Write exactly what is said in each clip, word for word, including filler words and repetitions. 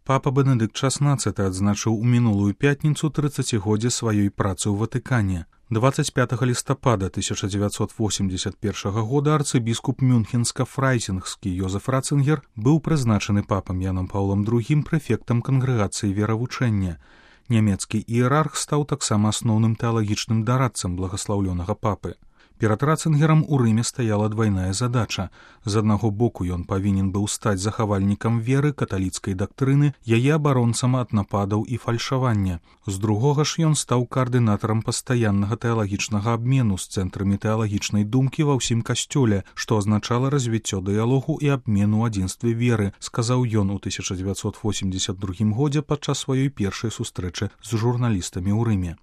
Папа Бенедыкт шаснаццаты адзначыў у мінулую пятніцу трыццацігоддзе сваёй працы ў Ватыкане. двадцать пятого листопада тысяча девятьсот восемьдесят первого года арцыбіскуп Мюнхенска-Фрайзінгскі Йозеф Ратцингер быў прызначаны папам Яном Паўлам другім прэфектам кангрэгацыі веравучэння. Нямецкі іерарх стаў таксама асноўным тэалагічным дарадцам благаслаўлёнага папы. Перад Ратцингерам у Рыме стаяла двайная задача. З аднаго боку ён павінен быў стаць захавальнікам веры, каталіцкай дактрыны, яе абаронцам ад нападаў і фальшавання. З другога ж ён стаў каардынатарам пастаяннага тэалагічнага абмену з цэнтрамі тэалагічнай думкі ва ўсім касцёле, што азначала развіццё дыялогу і абмену ў адзінстве веры, сказаў ён у тысяча дзевяцьсот восемьдесят другім годзе падчас сваёй першай сустрэчы з журналістамі ў Рыме.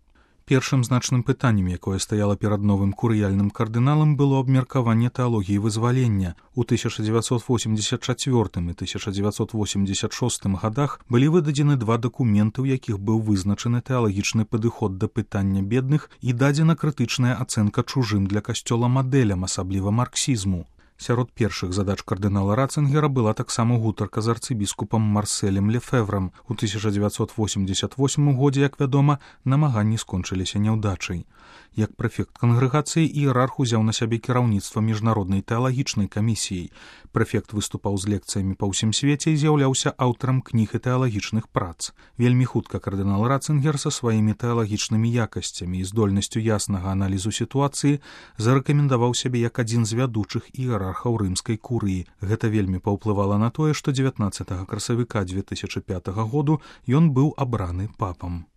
Першым значным пытаннем, якое стаяла перад новым курыяльным кардыналам, было абмеркаванне тэалогіі вызвалення. У тысяча дзевяцьсот восемьдесят чацвёртым і тысяча дзевяцьсот восемьдесят шостым гадах былі выдадзены два дакументы, у якіх быў вызначаны тэалагічны падыход да пытання бедных і дадзена крытычная ацэнка чужым для касцёла мадэлям, асабліва марксізму. Сярод першых задач кардынала Ратцингера была таксама гутарка з арцыбіскупам Марселем Лефеврам. У тысяча дзевяцьсот восемьдесят восьмым годзе, як вядома, намаганні скончыліся няўдачай. Як прэфект кангрэгацыі іерарх узяў на сябе кіраўніцтва міжнароднай тэалагічнай камісіяй. Прэфект выступаў з лекцыямі па ўсім свеце і з'яўляўся аўтарам кніг і тэалагічных прац. Вельмі хутка кардынал Ратцингер са сваімі тэалагічнымі якасцямі і здольнасцю яснага аналізу сітуацыі зарэкамендаваў сябе як адзін з вядучых іерархаў рымскай курыі. Гэта вельмі паўплывала на тое, што дзевятнаццатага красавіка дзве тысячы пятага году ён быў абраны папам.